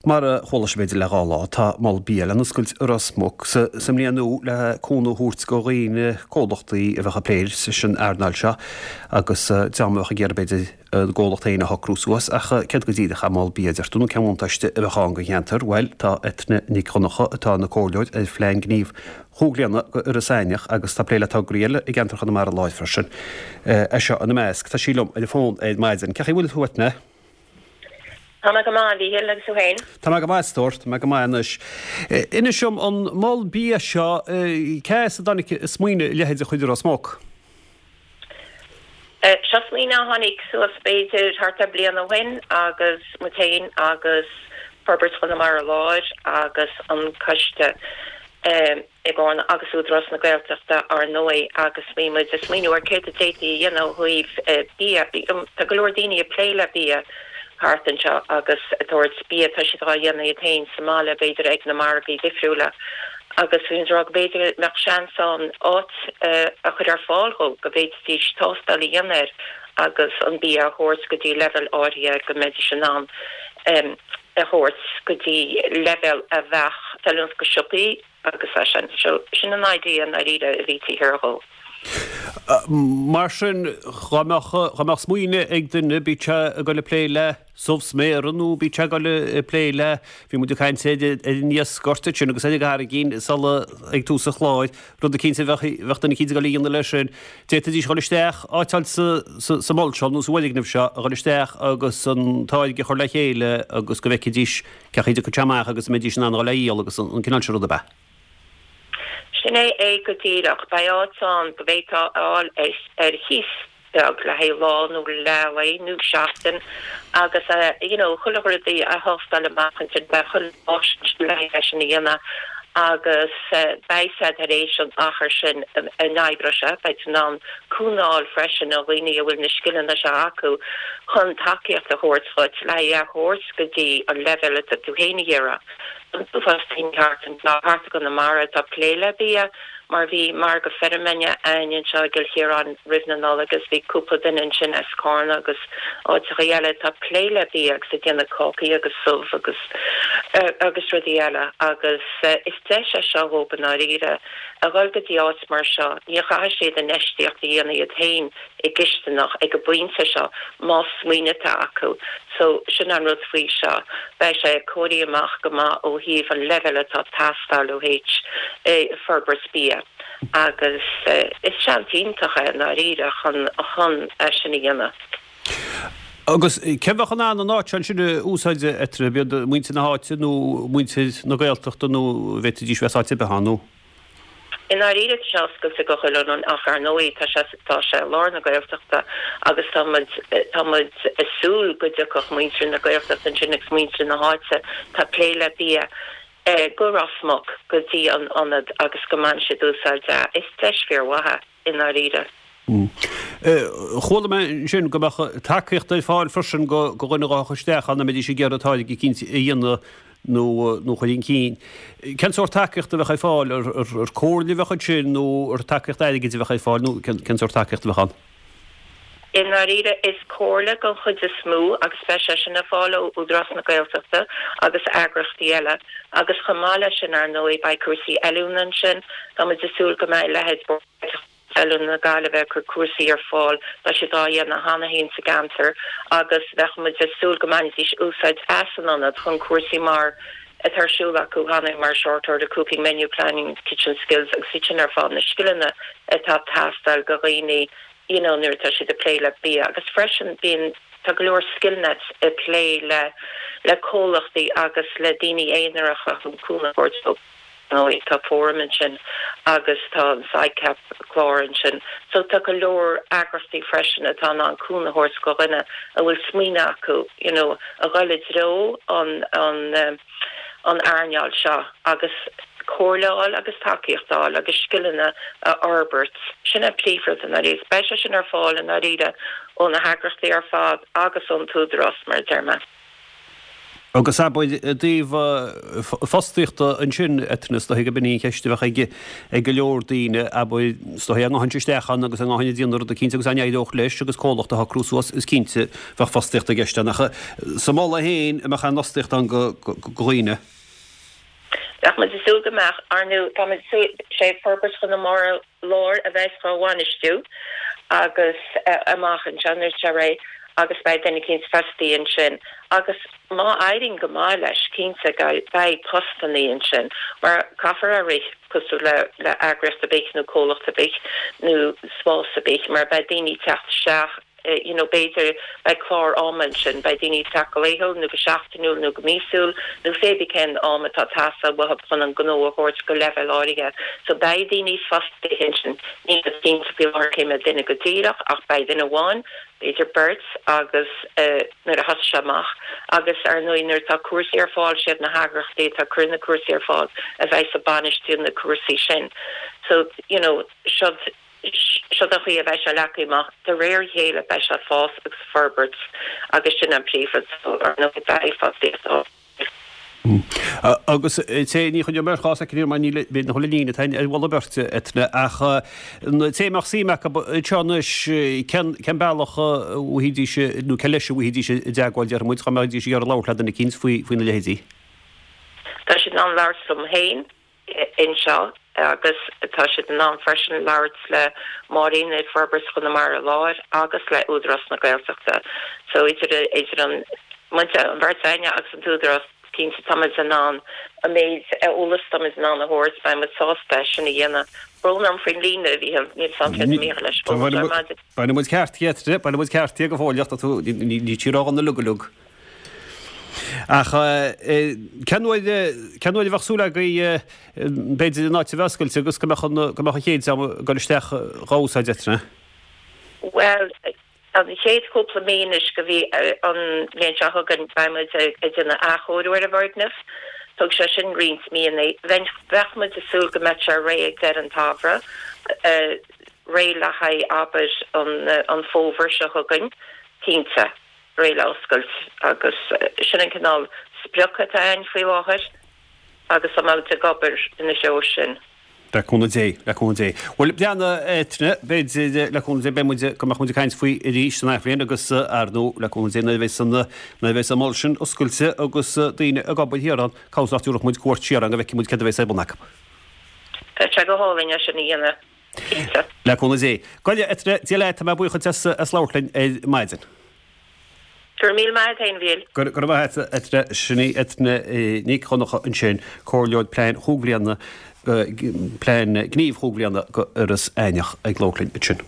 Mar a chuala sibh b'fhéidir le dha lá, tá Mol Bia le n-oscailt i Ros Muc sa mbliain nua le cúnamh a thabhairt go dhaoine, comhlachtaí a bheadh ag plé leis an earnáil seo agus dream a bheadh ag iarraidh b'fhéidir a gcomhlacht féin a shocrú suas. Ach céard go díreach é Mol Bia, a deir tú, nó cén bhuntáiste a bheadh ann don cheantar? Bhuel, tá Eithne Nic Dhonncha, atá ina comhairleoir ar Phlean Gnímh Chúig Bhliana go Iorras Aithneach agus tá ag plé le tograí eile i gceantar Chonamara Láir freisin, é seo ina measc. Tá sí liom ar an bhfón ar maidin. Cén chaoi a bhfuil tú, Eithne? Tá mé go maith, a Mhíchíl, agus tú féin? Tá mé go maith, a stór, tá mé go maith anois. Inis dom, an mol bia seo, cé as a dtáinig an smaoineamh a leithéid a chur i Ros Muc? Seo smaoineamh a tháinig suas b'fhéidir thart ar bliain ó shin agus muid féin agus Forbairt Chonamara Láir agus an Coiste, i gCarna agus Údarás na Gaeltachta ár ndóigh agus bhí muid ag smaoineamh ar céard a d'fhéadfaí a dhéanamh ó thaobh bia. Tá go leor daoine ag plé le bia thart anseo agus ag tabhairt bia, tá siad á dhéanamh iad féin sa mbaile b'fhéidir ag na margaí difriúla agus bhí muid ag rá go b'fhéidir go mbeadh seans ann áit a chur ar fáil dhó go bhféadfaidís tástáil a dhéanamh air agus an bia a thabhairt go dtí leibhéal áirithe go mbeidís in ann a thabhairt go dtí leibhéal a bheadh feiliúnach go siopaí agus é sin. So, sin an idea i ndáiríre a bhí taobh thiar dhó. Mar sin, dhá mbeadh, dhá mbeadh smaoineamh ag duine, bíodh sé ag dul ag plé le subh sméara nó bíodh sé ag dul ag plé le, bhí muid ag caint ar an iasc gorta sin agus ar an gcarraigín sula, ag tús an chláir, rud eicínt a bheadh, bheadh duine eicínt ag dul a dhéanamh leis sin. D'fhéadfaidís dhul isteach, áit a fháil sa, sa, sa mhol seo nó sa bhfoirgneamh seo, a dhul isteach agus an táirge a chur le chéile agus go bhfeicfidís cén chaoi a dtiocfadh sé amach agus an mbeidís in ann a dhul á dhíol agus an cineál sin ruda, ab ea? Sin é é go díreach. Beidh áit ann go bhféadfá a fháil ar chíos beag le haghaidh lá nó leath lae nó seachtain agus you know chuile rud a thástáil amach ansin, beidh chuile áis ansin le haghaidh é sin a dhéanamh agus beidh siad tar éis an achar sin a n-oibreoidh sé, beidh siad in ann cúnamh a fháil freisin ó dhaoine a bhfuil na scileanna seo acu chun tacaíocht a thabhairt dhuit le haghaidh é a thabhairt go dtí an leibhéal atá tú féin ag iarraidh. An t-uafás daoine thart anseo, thart i gConamara atá ag plé le bia mar bhí margadh feirme againn anseo i gCill Chiaráin roimh na Nollag agus bhí cúpla duine ansin as Carna agus áiteacha eile atá ag plé le bia agus ag déanamh cácaí agus subh agus agus rudaí eile agus is deis é seo dhóibh i ndáiríre a dhul go dtí áit mar seo. Ní chaithfidh siad infheistíocht a dhéanamh iad féin i gcisteanach ag an bpointe seo más smaoineamh atá acu. So sin an rud faoi seo. Beidh sé cóirithe amach go maith ó thaobh an leibhéal atá ag teastáil ó thaobh forbairt bia agus is seans iontach é i ndáiríre chun chun é sin a dhéanamh. Agus cé bheadh in ann an áit ansin a úsáid, Eithne, ab iad muintir na háite nó muintir na Gaeltachta nó an bhféadfaidís bheith as áit ar bith ann nó? I ndáiríre tá sé oscailte go chuile dhuine ach ar ndóigh tá sé tá sé i lár na Gaeltachta agus tá muid tá muid ag súil go dtiocfadh muintir na Gaeltachta ansin agus muintir na háite atá ag plé le bia go Ros Muc go dtí an ionad agus go mbainfidh siad úsáid as. Is deis fíormhaith é i ndáiríre. Chuala mé ansin go mbeadh tacaíocht ar fáil freisin go dhuine a ghabhfadh isteach ann dá mbeidís ag iarraidh táirge eicínt a dhéanamh nó nó a chur chun cinn. Cén sórt tacaíochta a bheadh ar fáil? Ar comhairle a bheadh ansin nó ar tacaíocht airgid a bheadh ar fáil nó cén sórt tacaíochta a bheadh ann? I ndáiríre, is comhairle den chuid is mó agus beidh sé sin ar fáil ó Údarás na Gaeltachta agus eagraíochtaí eile agus chomh maith leis sin, ar ndóigh, beidh cúrsaí oiliúna ansin. Tá muid ag súil go mbeidh leithéid Bord Oiliúna na Gaillimhe ag cur cúrsaí ar fáil, tá siad á dhéanamh cheana féin sa gceantar agus bheadh muid ag súil go mbainfidís úsáid as an ionad chun cúrsaí mar atá ar siúl acu cheana mar Short Order Cooking, Menu Planning, Kitchen Skills agus iad sin ar fad, na scileanna atá ag teastáil go dhaoine you know nuair atá siad ag plé le bia agus freisin bíonn tá go leor Skillnets ag plé le le comhlachtaí agus le daoine aonaracha chun cúnamh a thabhairt dóibh. ndóigh, tá Fóram ansin agus tá an SICAP clár ansin. So tá go leor eagraíochtaí freisin atá in ann cúnamh a thabhairt go dhuine a bhfuil smaoineamh acu, you know, a dhul i dtreo an, an, an earnáil seo agus comhairle a fháil agus tacaíocht a fháil agus scileanna a fhorbairt. Sin an príomhrud i ndáiríre. Beidh sé sin ar fáil i ndáiríre ó na heagraíochtaí ar fad agus ón t-údarás, mar a deir mé. Agus abair i dtaobh fostaíochta ansin, Eithne, is dóiche gurb in í an cheist a bheadh ag go leor daoine, abair, is dóiche dá ngabhfainnse isteach ann agus dá ngabhfainn ag déanamh rud eicínt agus dá n-éireodh leis agus comhlacht a shocrú suas, is cinnte bheadh fostaíocht i gceist ann. Ach sa mol é féin, an mbeadh aon fhostaíocht ann do dhaoine? Bheadh muid ag súil go mbeadh. Ar ndóigh, tá muid ag súil, sé Forbairt Chonamara Láir a bheas dhá bhainistiú agus amach anseo nuair atá sé réidh agus beidh duine eicínt fostaithe ansin agus má éiríonn go maith leis cinnte beidh postannaí ansin mar caithfear a rith cosúil le le eagraíocht ar bith nó comhlacht ar bith nó spás ar bith mar beidh daoine ag teacht isteach you know b'fhéidir beidh clár ama ansin, beidh daoine ag teacht go laethúil nó go seachtainiúil nó go míosúil nó pé bith cén am atá ag teastáil uathu chun an gnó a thabhairt go leibhéal áirithe. So beidh daoine fostaithe ansin, níl mé cinnte faoi láthair cé mhéad duine go díreach ach beidh duine amháin, b'fhéidir beirt agus nuair a thosaigh sé amach agus ar ndóigh nuair atá cúrsaí ar fáil siad na heagraíochtaí atá ag cur na cúrsaí ar fáil a bheidh ag bainistiú na cúrsaí sin. So you know siod Siod an chaoi a bheidh sé leagtha amach. De réir a chéile beidh sé ag fás agus ag forbairt agus sin an príomhrud. So, ar ndóigh, beidh fostaíocht ann. Agus té, ní choinneoidh mé ort dhá soicind mar níl, b'fhéidir nach bhfuil an líne atá ar mholadh beirte, Eithne, ach an té a mbeadh suim acu anseo anois, cén, cén bealach a bhfaighidís, nó cé leis a bhfaighidís i dteagmháil, déarfaidh muid, dá mbeidís ag iarraidh labhairt le duine eicínt faoi, faoina leithéidí? Tá siad in ann labhairt liom féin. anseo agus tá siad in ann freisin labhairt le Máirín i Forbairt Chonamara Láir agus le Údarás na Gaeltachta. So idir idir an muid an bheirt againne agus an tÚdarás cinnte táimid in ann an méid eolas táimid in ann a thabhairt beidh muid sásta é sin a dhéanamh. Brón orm faoin líne a Mhíchíl, níl 's a'm céard a Mícheál leis fós ar maidin. Bainfidh muid ceart di, bainfidh muid ceart di go fóilleach, tá tú, ní tí rogha na uilig uilig. Ach cén uair, cén uair a bheadh súil agaibh, b'fhéidir, an áit a bheith oscailte agus go mbeadh an, go mbeadh an chéad dream ag dul isteach dhá úsáid, Eithne? Bhuel, an chéad chúpla mí anois go dtí an bhliain seo chugainn beidh muid ag déanamh athchóiriú ar an bhfoirgneamh. Tógfaidh sé sin roinnt míonna. Bheadh muid ag súil go mbeadh sé réidh ag deireadh an tsamhraidh, réidh le haghaidh, abair, an fómhar seo chugainn, cinnte. réidh le oscailt agus sin an cineál sprioc atá againn faoi láthair agus tá muid ag obair ina threo sin. Le cúnamh Dé, le cúnamh Dé. Bhuel, breathnaigh Eithne, b'fhéidir, le cúnamh Dé, beidh muid, go mbeadh muid ag caint faoi arís san athbhliain agus ar ndóigh, le cúnamh Dé, nuair a bheas an, nuair a bheas an mol sin oscailte agus daoine ag obair thiar ann, cá bhfios nach dtabharfadh muid cuairt siar ann go bhfeicfidh muid céard a bheas ar bun acu. Tá sé go hálainn é sin a dhéanamh. Cinnte. Le cúnamh Dé. Go leith, Eithne, Dia leat, tá mé buíoch duit as, as labhairt linn ar maidin. Go raibh míle maith agat féin, a Mhíchíl. Go raibh maith agat, a Eithne. Sin í Eithne Nic Dhonncha ansin, Comhairleoir Plean Chúig Bhliana, Plean Gnímh Chúig Bhliana do Iorras Aithneach ag labhairt linn ansin.